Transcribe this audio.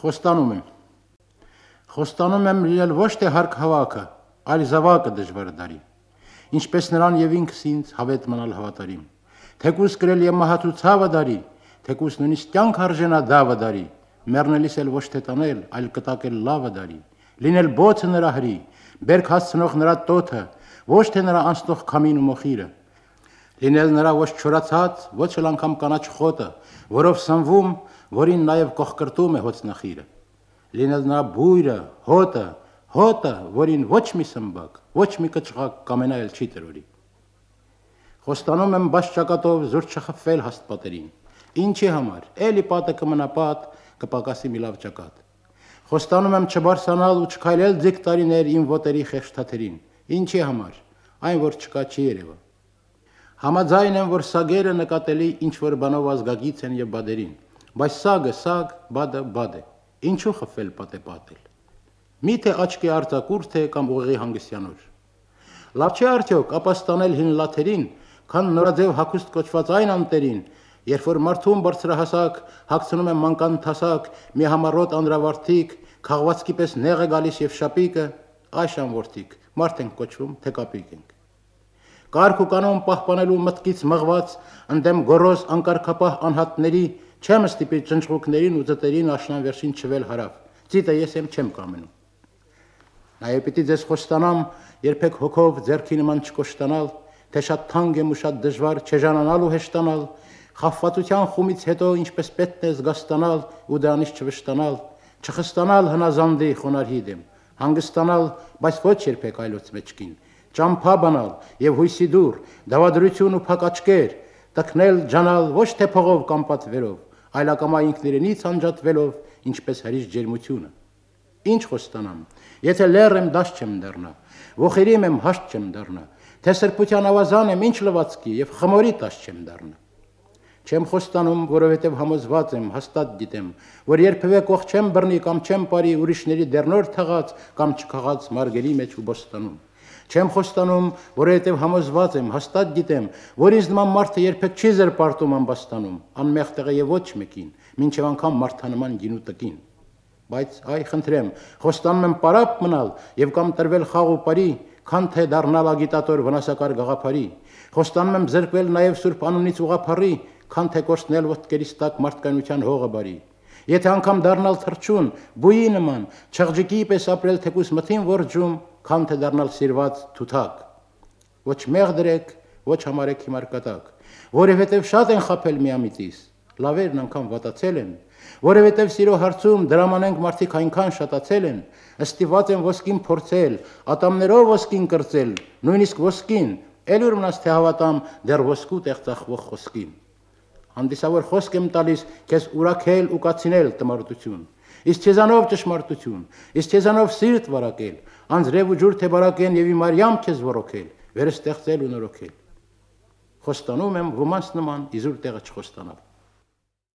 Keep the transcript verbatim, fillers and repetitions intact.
Խոստանում եմ։ Խոստանում եմ լինել ոչ թե հարկ հավաքը, այլ զավակը դժվար դարի։ Ինչպես նրան եւ ինքս ինձ հավետ մնալ հավատարիմ։ Թեկուս կրել եւ մահացու ցավը դարի, թեկուս նույնիսկ կյանք արժենա դավը դարի, մեռնելիս էլ ոչ թե տանել, այլ կտակել լավը դարի։ Լինել բոցը նրա հրի, բերք հասցնող նրա տոթը, ոչ թե նրա անցնող քամին ու մոխիրը։ Լինել նրա ոչ չորացած, ոչ էլ անգամ կանաչ խոտը, որով սնվում, որին նաև կողկրտում է հոցնախիրը։ Լինել նրա բույրը, հոտը, հոտը, որին ոչ մի սմբակ, ոչ մի կճղակ կամենայել չի տրորի։ Խոստանում եմ բաց ճակատով զուր չխփվել հաստպատերին։ Ինչի համար, էլի պատը կմնա պատ, կպակասի մի լավ ճակատ։ Խոստանում եմ չբարձրանալ ու չքայլել ձիգ տարիներ իմ ոտերի խեղճ-թաթերին։ Ինչի համար, այն որ չկա չի երևա։ Համաձայն եմ, որ սագերը նկատելի ինչ-որ բանով ազգագից են եւ բադերին, բայց սագը սագ, բադը բադ է, ինչու խփվել պատե պատել։ Միթե աչքի արձակուրդ է կամ ուղեղի հանգստյանոր։ Լավ չէ արդյոք ապաստանել հին լաթերին, քան նորաձև հագուստ կոչված այն անտերին, երբ որ մարդուն բարձրահասակ հագցնում են մանկան թասակ, մի համառոտ անդրավարտիկ, քաղվածքի պես նեղ է գալիս եւ շապիկը, այշան որդիկ, մարդ ենք կոչվում, թե կապիկ ենք։ Կարգ ու կանոն պահպանելու մտքից մղված, ընդդեմ գորոզ անկարգապահ անհատների, չեմ ստիպի ճնճղուկներին ու ձտերին աշնան վերջին չվել հարավ, ծիտը ես եմ չեմ կամենում։ Նաև պիտի ձեզ խոստանամ, երբեք հոգով ձեռքի նման չկոշտանալ, թե շատ թանկ եմ ու շատ դժվար չեժանանալ ու հեշտանալ, խաբվածության խումից հետո ինչպես պետք է զգաստանալ ու դրանից չվշտանալ, չխստանալ հնազանդի խոնարհի դեմ, հանգստանալ, բայց ոչ երբեք այլոց մեջքին, ճամփա բանալ եւ հույսի դուր, դավադրություն ու փակ աչքեր, տքնել ջանալ ոչ թե փողով կամ պատվերով, այլ ակամա ինքնիրենից անջատվելով, ինչպես հրիշ ջերմությունը։ Ինչ խոստանամ, եթե լեռ եմ դաշ չեմ դառնա, ոխերիմ եմ հաշտ չեմ դառնա, թե սրբության ավազան եմ ինչ լվացքի եւ խմորի տաշ չեմ դառնա։ Չեմ խոստանում, որովհետև համոզված եմ, հաստատ գիտեմ, որ երբևէ կող չեմ բռնի կամ չեմ πάρի ուրիշների դեռնոր թաղած կամ չքաղած մարգերի մեջ ու բոստանում։ Չեմ խոստանում, որովհետև համոզված եմ, հաստատ գիտեմ, որ ինձ նման մարդը երբեք չի զրպարտում ամբաստանում, անմեղ տեղը եւ ոչ մեկին, մինչև անգամ մարդանման գինու տկին։ Բայց այ խնդրեմ, խոստանում եմ պարապ մնալ եւ կամ տրվել խաղ ու բարի, քան թե դառնալ ագիտատոր վնասակար գաղափարի։ Խոստանում եմ զրկվել նաեւ սուրբ անունից ուղափառի, քան թե կորցնել ոտքերիս տակ մարդկայնության հողը բարի։ Եթե անգամ դառնալ թրջուն, բույի նման, չղջիկի պես ապրել թեկուս մթին որջում, քան թե դառնալ սիրված թութակ։ Ոչ մեղ դրեք, ոչ համարեք հիմար կատակ, որովհետև շատ են խաբել միամիտիս, լավերն անգամ վատացել են, որովհետև սիրո հարցում դրամանենք մարդիկ այնքան շատացել են, ըստիված են ոսկին փորձել, ատամներով ոսկին կրծել, նույնիսկ ոսկին, էլ ուր մնաց թե հավատամ դեռ ոսկու տեղ ծախվող խոսքին։ Հանդիսավոր խոսք եմ տալիս քեզ ուրաքել ու կացինել տմարդություն, իսկ քեզանով ճշմարտություն, իսկ քեզանով սիրտ վարակել, անձրև ու ջուր թե բարակեն եւ իմ արյամ քեզ ոռոգել, վերստեղծել ու նորոգել։ Խոստանում եմ ոմանց նման իզուր տեղը չխոստանալ։